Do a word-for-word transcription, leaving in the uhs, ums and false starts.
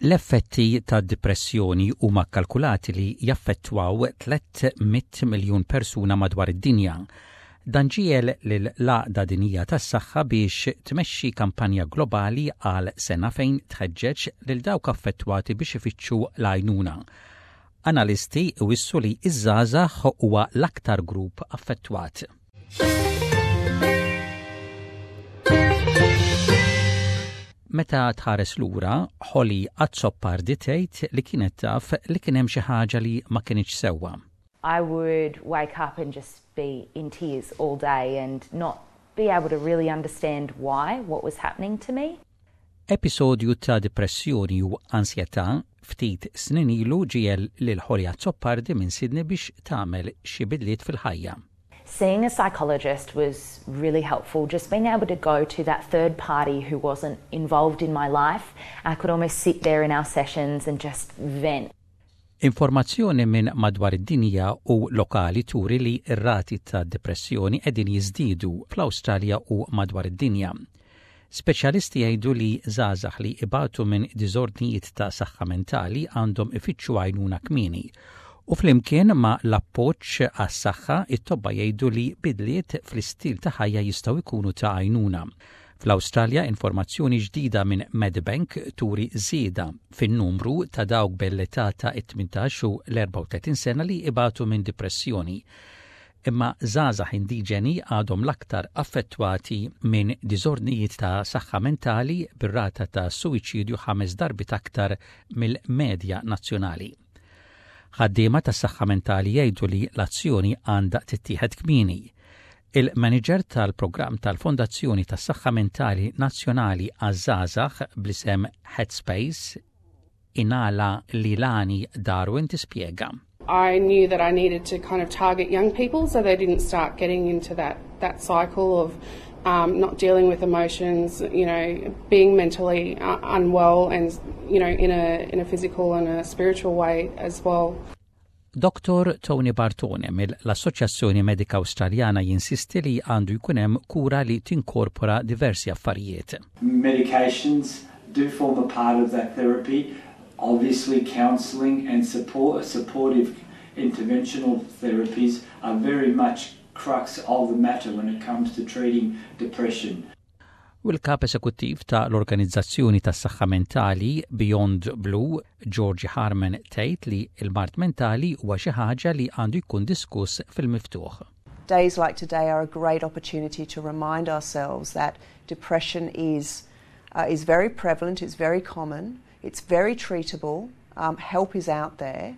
L-effetti ta' depressjoni huma kalkulati li jaffettwaw tliet mitt miljun persuna madwar id-dinja. Dan ġiegħel lill-Għaqda Dinjija tas-Saħħa biex tmexxi kampanja globali għal sena fejn tħeġġeġ lil dawk affettwati biex ifittxu l-għajnuna. Analisti wissu li iż-żgħażagħ huwa l-aktar grupp affettwat. Meta tħares lura, Holly Azzopardi tgħid li kienet taf li kien hemm xi ħaġa li ma kinitx sewwa. I would wake up and just be in tears all day and not be able to really understand why, what was happening to me. Episodju ta' depressjoni u ansjetà ftit snin ilu ġiegħel lil Holly Azzopardi minn Sydney biex tagħmel xi bidliet fil-ħajja. Seeing a psychologist was really helpful, just being able to go to that third party who wasn't involved in my life. I could almost sit there in our sessions and just vent. Informazzjoni minn madwar id-dinja u lokali turi li r-rati ta' depressjoni qegħdin jiżdiedu fl-Awstralja u madwar id-dinja. Speċjalisti jgħidu li żgħażagħ li ibatu minn diżordnijiet ta' saħħa mentali għandhom ifittxu għajnuna kmieni. U flimkien ma' l-appoġġ għas-saħħa, it-tobba jgħidu li bidliet fl-istil ta' ħajja jistgħu jkunu ta' għajnuna. Fl-Awstralja, informazzjoni ġdida minn Medibank turi żieda fin-numru ta' dawk bl-età ta' tmintax u l-erbgħa u tletin sena li ibatu minn depressjoni. Imma żgħażagħ indiġeni għadhom l-aktar affettwati minn diżordnijiet ta' saħħa mentali, bir-rata ta' suwiċidju ħames darbit aktar mill-medja nazzjonali. Ħaddiema tas saħħa mentali jgħidu li l-azzjoni għandha tittieħed kmieni. Il-manager tal-programm tal-Fondazzjoni tas-Saħħa Mentali Nazzjonali għaż-żgħażagħ bl-isem Headspace, Inala Lilani Darwin, tispjega. I knew that I needed to kind of target young people so they didn't start getting into that, that cycle of um, not dealing with emotions, you know, being mentally uh, unwell and, you know, in a, in a physical and a spiritual way as well. Doktor Tony Bartone mill-Assoċjazzjoni Medika Awstraljana jinsisti li għandu jkun hemm kura li tinkorpora diversi affarijiet. Medications do form a part of that therapy. Obviously, counselling and support, supportive interventional therapies are very much crux of the matter when it comes to treating depression. U l-kap esekuttiv ta' l-Organizzazzjoni tas saħħa Mentali Beyond Blue, Georgie Harman, tgħid li l-mard mentali huwa xi ħaġa li għandu jkun diskuss fil-miftuħ. Days like today are a great opportunity to remind ourselves that depression is, uh, is very prevalent, it's very common, it's very treatable, um, help is out there.